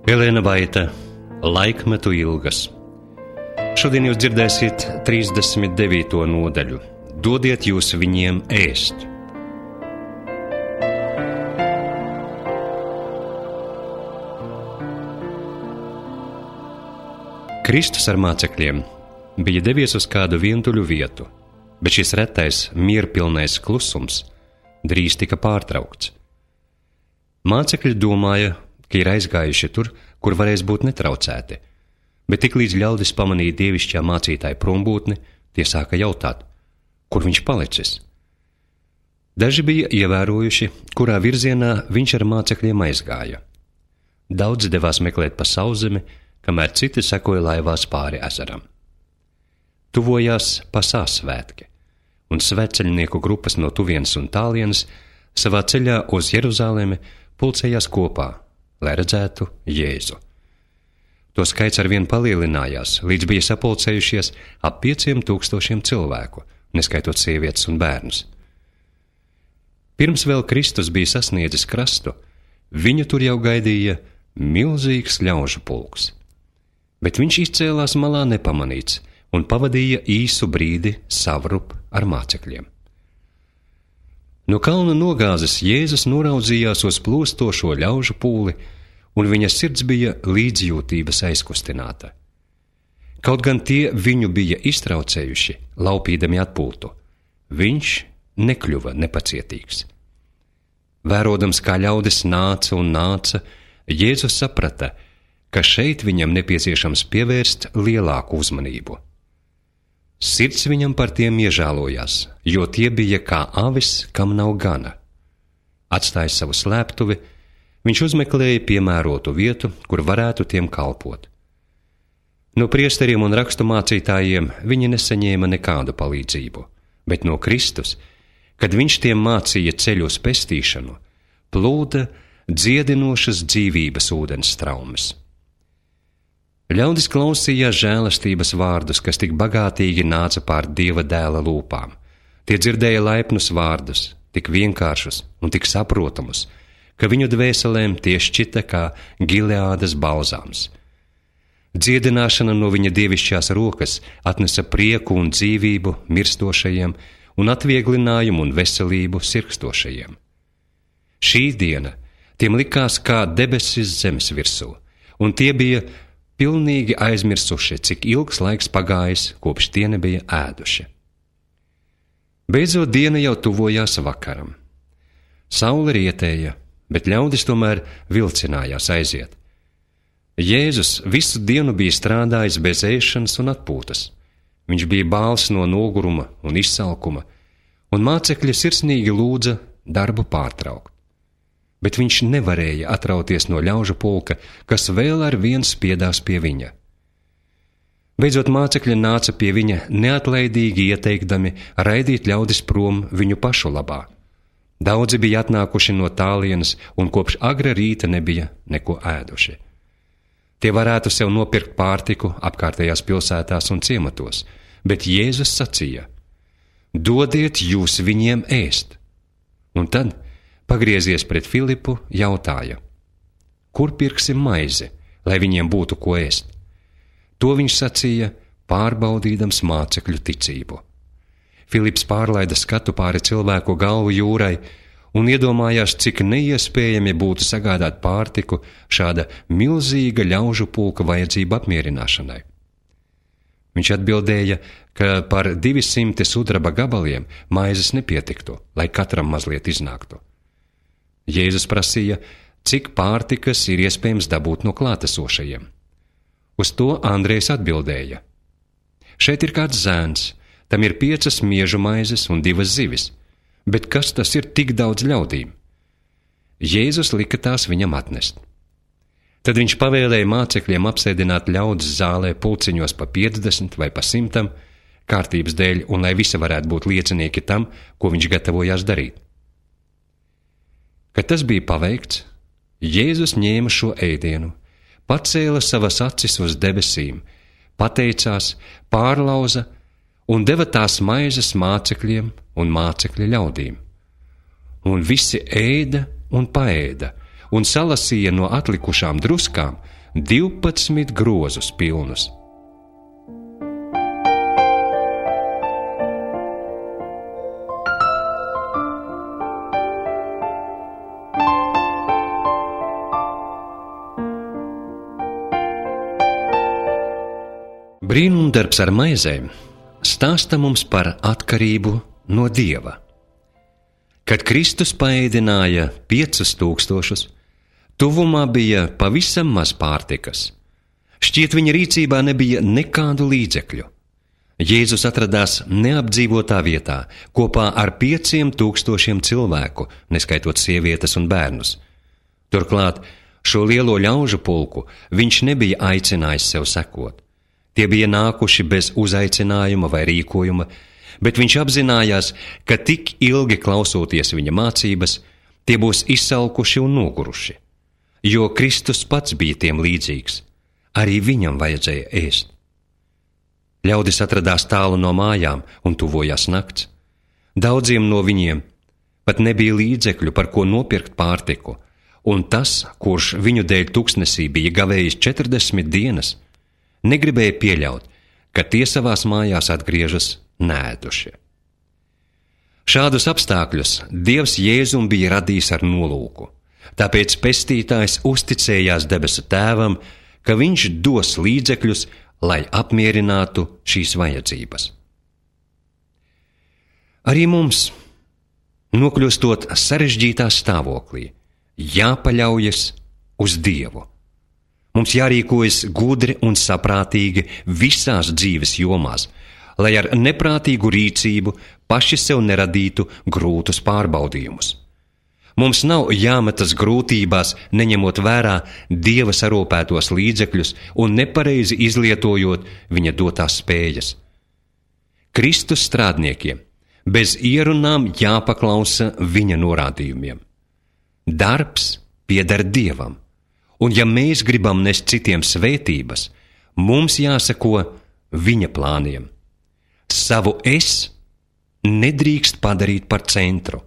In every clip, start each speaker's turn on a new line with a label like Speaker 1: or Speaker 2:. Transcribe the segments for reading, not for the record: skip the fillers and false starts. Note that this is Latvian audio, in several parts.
Speaker 1: Elēna Vaita, Laikmetu ilgas. Šodien jūs dzirdēsiet 39. nodaļu. Dodiet jūs viņiem ēst. Kristus ar mācekļiem bija devies uz kādu vientuļu vietu, bet šis retais, mierpilnais klusums drīz tika pārtraukts. Mācekļi domāja, ka ir aizgājuši tur, kur varēs būt netraucēti, bet tiklīdz ļaudis pamanīja dievišķā mācītāja prombūtni, tie sāka jautāt, kur viņš palicis. Daži bija ievērojuši, kurā virzienā viņš ar mācekļiem aizgāja. Daudzi devās meklēt pa sauszemi, kamēr citi sekoja laivās pāri ezeram. Tuvojās Pasās svētki, un svētceļnieku grupas no tuvienes un tālienes savā ceļā uz Jeruzalemi pulcējās kopā, lai redzētu Jēzu. To skaits arvien palielinājās, līdz bija sapulcējušies ap 5000 cilvēku, neskaitot sievietes un bērnus. Pirms vēl Kristus bija sasniedzis krastu, viņu tur jau gaidīja milzīgs ļaužu pulks. Bet viņš izcēlās malā nepamanīts un pavadīja īsu brīdi savrup ar mācekļiem. No kalna nogāzes Jēzus noraudzījās uz plūstošo ļaužu pūli, un viņa sirds bija līdzjūtības aizkustināta. Kaut gan tie viņu bija iztraucējuši, laupīdami atpūtu, viņš nekļuva nepacietīgs. Vērodams, kā ļaudis nāca un nāca, Jēzus saprata, ka šeit viņam nepieciešams pievērst lielāku uzmanību. Sirds viņam par tiem iežālojās, jo tie bija kā avis, kam nav gana. Atstājis savu slēptuvi, viņš uzmeklēja piemērotu vietu, kur varētu tiem kalpot. No priesteriem un raksturmācītājiem viņi nesaņēma nekādu palīdzību, bet no Kristus, kad viņš tiem mācīja ceļu uz pestīšanu, plūda dziedinošas dzīvības ūdens straumes. Ļaudis klausījās žēlastības vārdus, kas tik bagātīgi nāca pār Dieva dēla lūpām. Tie dzirdēja laipnus vārdus, tik vienkāršus un tik saprotamus, ka viņu dvēselēm tie šķita kā Gileādas balzāms. Dziedināšana no viņa dievišķās rokas atnesa prieku un dzīvību mirstošajiem un atvieglinājumu un veselību sirkstošajiem. Šī diena tiem likās kā debesis zemes virsū, un tie bija pilnīgi aizmirsuši, cik ilgs laiks pagājis, kopš tie nebija ēduši. Beidzot diena jau tuvojās vakaram. Saule rietēja, bet ļaudis tomēr vilcinājās aiziet. Jēzus visu dienu bija strādājis bez ēšanas un atpūtas. Viņš bija bāls no noguruma un izsalkuma, un mācekļi sirsnīgi lūdza darbu pārtraukt. Bet viņš nevarēja atrauties no ļaužu pulka, kas vēl ar vien spiedās pie viņa. Beidzot mācekļi nāca pie viņa neatlaidīgi ieteikdami raidīt ļaudis prom viņu pašu labā. Daudzi bija atnākuši no tālienes un kopš agra rīta nebija neko ēduši. Tie varētu sev nopirkt pārtiku apkārtējās pilsētās un ciematos, bet Jēzus sacīja: dodiet jūs viņiem ēst. Un tad, pagriezies pret Filipu, jautāja: kur pirksim maizi, lai viņiem būtu ko ēst? To viņš sacīja, pārbaudīdams mācekļu ticību. Filips pārlaida skatu pāri cilvēku galvu jūrai un iedomājās, cik neiespējami būtu sagādāt pārtiku šāda milzīga ļaužu pulka vajadzību apmierināšanai. Viņš atbildēja, ka par 200 sudraba gabaliem maizes nepietiktu, lai katram mazliet iznāktu. Jēzus prasīja, cik pārtikas ir iespējams dabūt no klātesošajiem. Uz to Andrejs atbildēja: šeit ir kāds zēns, tam ir 5 miežu maizes un 2 zivis, bet kas tas ir tik daudz ļaudīm? Jēzus lika tās viņam atnest. Tad viņš pavēlēja mācekļiem apsēdināt ļaudis zālē pulciņos pa 50 vai pa 100, kārtības dēļ un lai visi varētu būt liecinieki tam, ko viņš gatavojās darīt. Kad tas bija paveikts, Jēzus ņēma šo ēdienu, pacēla savas acis uz debesīm, pateicās, pārlauza un deva tās maizes mācekļiem un mācekļa ļaudīm. Un visi ēda un paēda, un salasīja no atlikušām druskām, 12 grozus pilnus. Brīnumdarbs ar maizēm stāsta mums par atkarību no Dieva. Kad Kristus paēdināja 5000, tuvumā bija pavisam maz pārtikas. Šķiet, viņa rīcībā nebija nekādu līdzekļu. Jēzus atradās neapdzīvotā vietā kopā ar 5000 cilvēku, neskaitot sievietes un bērnus. Turklāt šo lielo ļaužu pulku viņš nebija aicinājis sev sekot. Tie bija nākuši bez uzaicinājuma vai rīkojuma, bet viņš apzinājās, ka tik ilgi klausoties viņa mācības, tie būs izsalkuši un noguruši. Jo Kristus pats bija tiem līdzīgs, arī viņam vajadzēja ēst. Ļaudis atradās tālu no mājām un tuvojās nakts. Daudziem no viņiem pat nebija līdzekļu, par ko nopirkt pārtiku, un tas, kurš viņu dēļ tuksnesī bija gavējis 40 dienas, negribēja pieļaut, ka tie savās mājās atgriežas neēdušie. Šādus apstākļus Dievs Jēzum bija radījis ar nolūku, tāpēc pestītājs uzticējās debesu Tēvam, ka viņš dos līdzekļus, lai apmierinātu šīs vajadzības. Arī mums, nokļūstot sarežģītā stāvoklī, jāpaļaujas uz Dievu. Mums jārīkojas gudri un saprātīgi visās dzīves jomās, lai ar neprātīgu rīcību paši sev neradītu grūtus pārbaudījumus. Mums nav jāmetas grūtībās, neņemot vērā Dieva sarūpētos līdzekļus un nepareizi izlietojot viņa dotās spējas. Kristus strādniekiem bez ierunām jāpaklausa viņa norādījumiem. Darbs pieder Dievam. Un ja mēs gribam nest citiem svētības, mums jāseko viņa plāniem. Savu es nedrīkst padarīt par centru.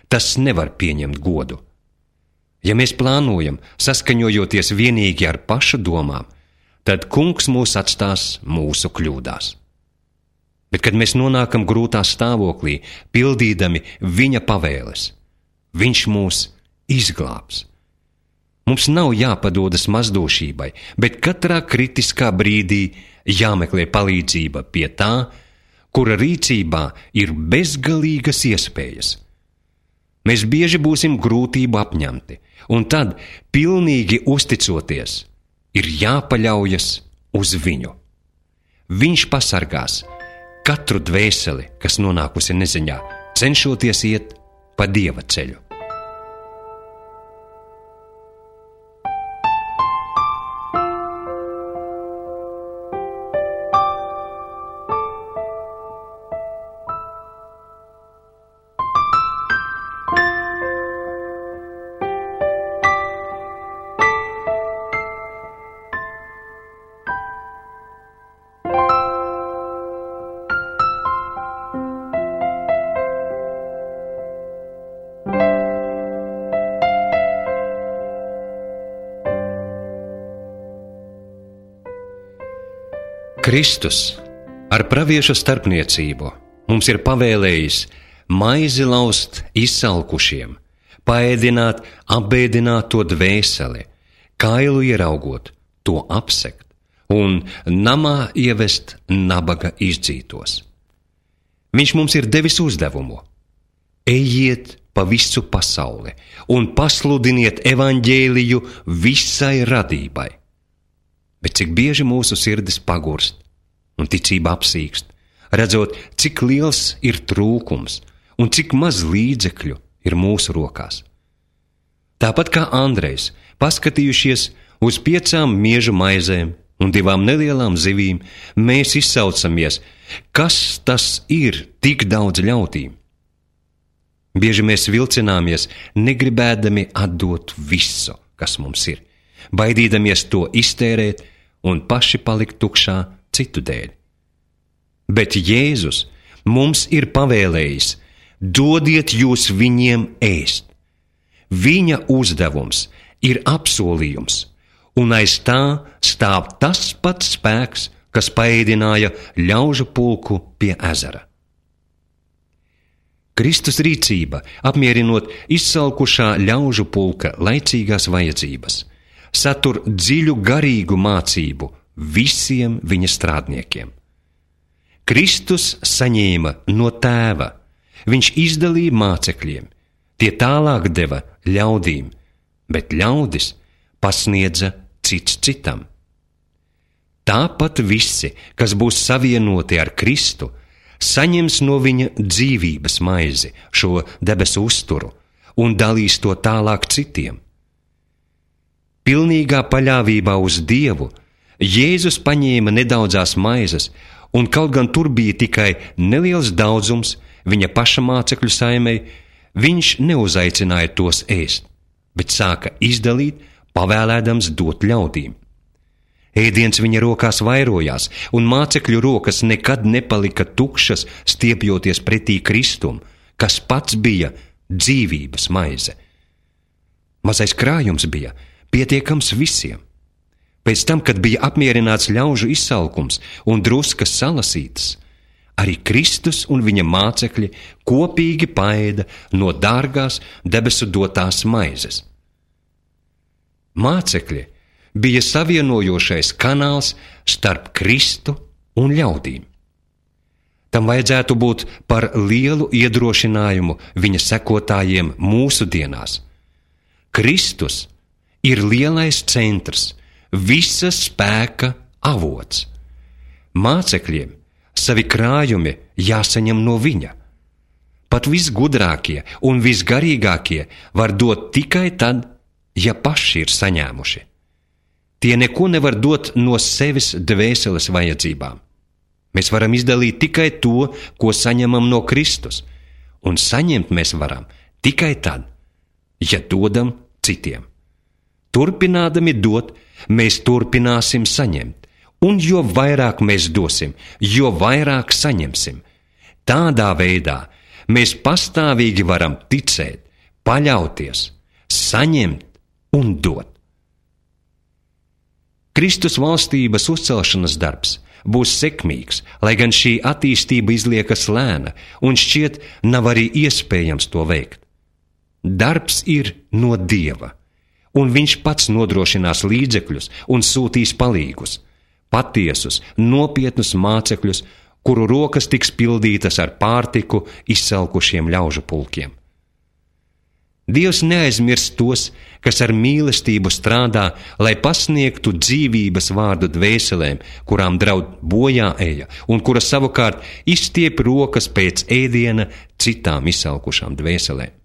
Speaker 1: Tas nevar pieņemt godu. Ja mēs plānojam, saskaņojoties vienīgi ar pašu domām, tad Kungs mūs atstās mūsu kļūdās. Bet kad mēs nonākam grūtā stāvoklī, pildīdami viņa pavēles, viņš mūs izglābs. Mums nav jāpadodas mazdošībai, bet katrā kritiskā brīdī jāmeklē palīdzība pie tā, kura rīcībā ir bezgalīgas iespējas. Mēs bieži būsim grūtību apņemti, un tad, pilnīgi uzticoties, ir jāpaļaujas uz viņu. Viņš pasargās katru dvēseli, kas nonākusi neziņā, cenšoties iet pa Dieva ceļu. Kristus ar praviešu starpniecību mums ir pavēlējis maizi laust izsalkušiem, paēdināt apbēdināto dvēseli, kailu ieraugot, to apsekt un namā ievest nabaga izdzītos. Viņš mums ir devis uzdevumu: ejiet pa visu pasauli un pasludiniet evaņģēliju visai radībai. Bet cik bieži mūsu sirdis pagurst un ticība apsīkst, redzot, cik liels ir trūkums un cik maz līdzekļu ir mūsu rokās. Tāpat kā Andrejs, paskatījušies uz 5 miežu maizēm un 2 nelielām zivīm, mēs izsaucamies, kas tas ir tik daudz ļautīm. Bieži mēs vilcināmies, negribēdami atdot visu, kas mums ir, baidīdamies to iztērēt un paši palikt tukšā citu dēļ. Bet Jēzus mums ir pavēlējis: dodiet jūs viņiem ēst. Viņa uzdevums ir apsolījums, un aiz tā stāv tas pats spēks, kas paēdināja ļaužu pulku pie ezera. Kristus rīcība, apmierinot izsalkušā ļaužu pulka laicīgās vajadzības, satur dziļu garīgu mācību visiem viņa strādniekiem. Kristus saņēma no Tēva, viņš izdalīja mācekļiem, tie tālāk deva ļaudīm, bet ļaudis pasniedza cits citam. Tāpat visi, kas būs savienoti ar Kristu, saņems no viņa dzīvības maizi, šo debesu uzturu, un dalīs to tālāk citiem. Pilnīgā paļāvībā uz Dievu Jēzus paņēma nedaudzās maizes, un kaut gan tur bija tikai neliels daudzums viņa paša mācekļu saimei, viņš neuzaicināja tos ēst, bet sāka izdalīt, pavēlēdams dot ļaudīm. Ēdiens viņa rokās vairojās, un mācekļu rokas nekad nepalika tukšas, stiepjoties pretī Kristum, kas pats bija dzīvības maize. Mazais krājums bija pietiekams visiem. Pēc tam, kad bija apmierināts ļaužu izsalkums un druskas salasītas, arī Kristus un viņa mācekļi kopīgi paēda no dārgās debesu dotās maizes. Mācekļi bija savienojošais kanāls starp Kristu un ļaudīm. Tam vajadzētu būt par lielu iedrošinājumu viņa sekotājiem mūsu dienās. Kristus ir lielais centrs, visa spēka avots. Mācekļiem savi krājumi jāsaņem no viņa. Pat visgudrākie un visgarīgākie var dot tikai tad, ja paši ir saņēmuši. Tie neko nevar dot no sevis dvēseles vajadzībām. Mēs varam izdalīt tikai to, ko saņemam no Kristus, un saņemt mēs varam tikai tad, ja dodam citiem. Turpinādami dot, mēs turpināsim saņemt, un jo vairāk mēs dosim, jo vairāk saņemsim. Tādā veidā mēs pastāvīgi varam ticēt, paļauties, saņemt un dot. Kristus valstības uzcelšanas darbs būs sekmīgs, lai gan šī attīstība izliekas lēna un šķiet nav arī iespējams to veikt. Darbs ir no Dieva, un viņš pats nodrošinās līdzekļus un sūtīs palīgus, patiesus, nopietnus mācekļus, kuru rokas tiks pildītas ar pārtiku izsalkušiem ļaužu pulkiem. Dievs neaizmirst tos, kas ar mīlestību strādā, lai pasniegtu dzīvības vārdu dvēselēm, kurām draud bojā eja, un kuras savukārt izstiep rokas pēc ēdiena citām izsalkušām dvēselēm.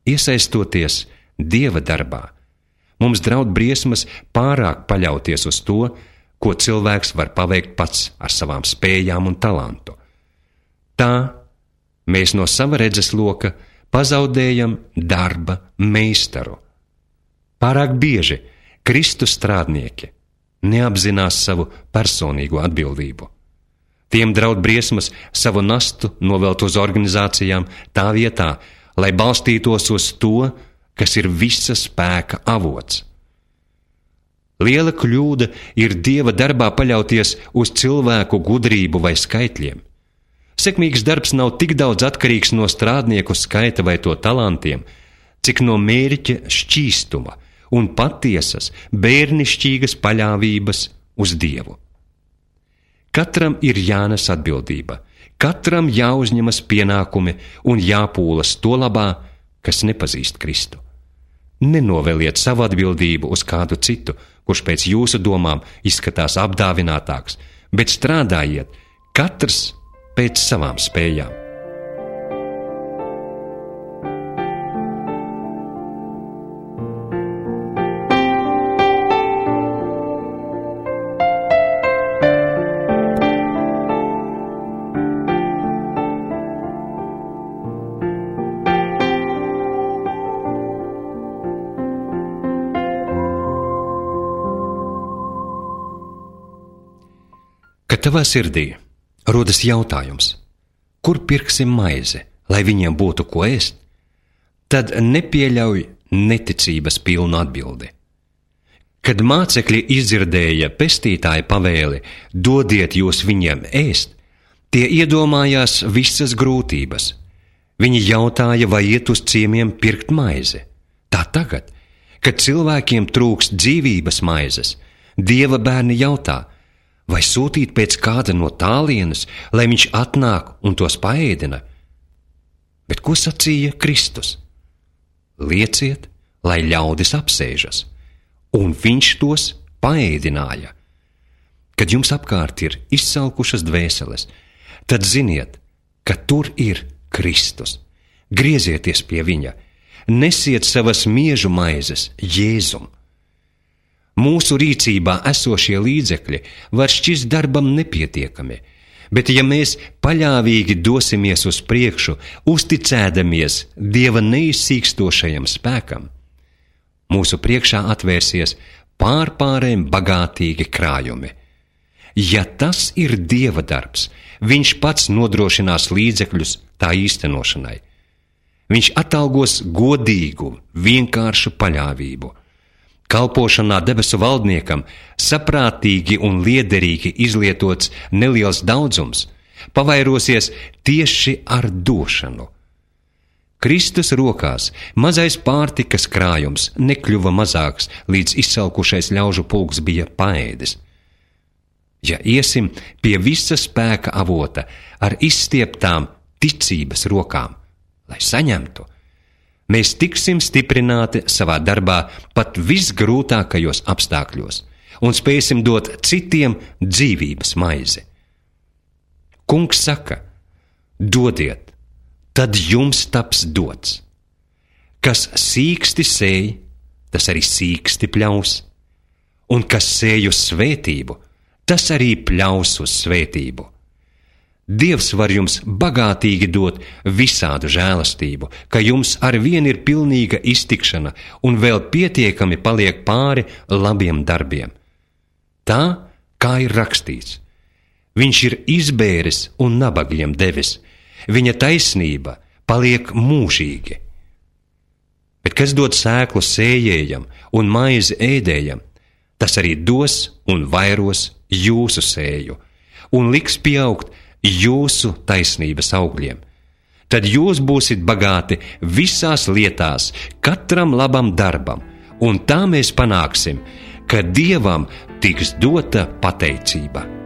Speaker 1: Iesaistoties Dieva darbā, mums draud briesmas pārāk paļauties uz to, ko cilvēks var paveikt pats ar savām spējām un talantu. Tā mēs no sava redzesloka pazaudējam darba meistaru. Pārāk bieži Kristus strādnieki neapzinās savu personīgo atbildību. Tiem draud briesmas savu nastu novelt uz organizācijām tā vietā, lai balstītos uz to, kas ir visa spēka avots. Liela kļūda ir Dieva darbā paļauties uz cilvēku gudrību vai skaitļiem. Sekmīgs darbs nav tik daudz atkarīgs no strādnieku skaita vai to talantiem, cik no mērķa šķīstuma un patiesas, bērnišķīgas paļāvības uz Dievu. Katram ir jānes atbildība, katram jāuzņemas pienākumi un jāpūlas to labā, kas nepazīst Kristu. Nenoveliet savu atbildību uz kādu citu, kurš pēc jūsu domām izskatās apdāvinātāks, bet strādājiet katrs pēc savām spējām. Kad tavā sirdī rodas jautājums, kur pirksim maizi, lai viņiem būtu ko ēst, tad nepieļauj neticības pilnu atbildi. Kad mācekļi izdzirdēja pestītāja pavēli, dodiet jūs viņiem ēst, tie iedomājās visas grūtības. Viņi jautāja, vai iet uz ciemiem pirkt maizi. Tā tagad, kad cilvēkiem trūkst dzīvības maizes, Dieva bērni jautā, vai sūtīt pēc kāda no tālienes, lai viņš atnāk un tos paēdina. Bet ko sacīja Kristus? Lieciet, lai ļaudis apsēžas, un viņš tos paēdināja. Kad jums apkārt ir izsalkušas dvēseles, tad ziniet, ka tur ir Kristus. Griezieties pie viņa, nesiet savas miežu maizes Jēzum. Mūsu rīcībā esošie līdzekļi var šķist darbam nepietiekami, bet ja mēs paļāvīgi dosimies uz priekšu, uzticēdamies Dieva neizsīkstošajam spēkam, mūsu priekšā atvērsies pārpārēm bagātīgi krājumi. Ja tas ir Dieva darbs, viņš pats nodrošinās līdzekļus tā īstenošanai. Viņš atalgos godīgu, vienkāršu paļāvību. Kalpošanā debesu valdniekam saprātīgi un liederīgi izlietots neliels daudzums pavairosies tieši ar došanu. Kristus rokās mazais pārtikas krājums nekļuva mazāks, līdz izsalkušais ļaužu pulks bija paēdis. Ja iesim pie visa spēka avota ar izstieptām ticības rokām, lai saņemtu, mēs tiksim stiprināti savā darbā pat visgrūtākajos apstākļos un spēsim dot citiem dzīvības maizi. Kungs saka, dodiet, tad jums taps dots. Kas sīksti sēj, tas arī sīksti pļaus, un kas sēj uz svētību, tas arī pļaus uz svētību. Dievs var jums bagātīgi dot visādu žēlastību, ka jums arvien ir pilnīga iztikšana un vēl pietiekami paliek pāri labiem darbiem. Tā, kā ir rakstīts, viņš ir izbēris un nabagiem devis, viņa taisnība paliek mūžīgi. Bet kas dod sēklu sējējam un maizi ēdējam, tas arī dos un vairos jūsu sēju un liks pieaugt jūsu taisnības augļiem. Tad jūs būsit bagāti visās lietās, katram labam darbam, un tā mēs panāksim, ka Dievam tiks dota pateicība.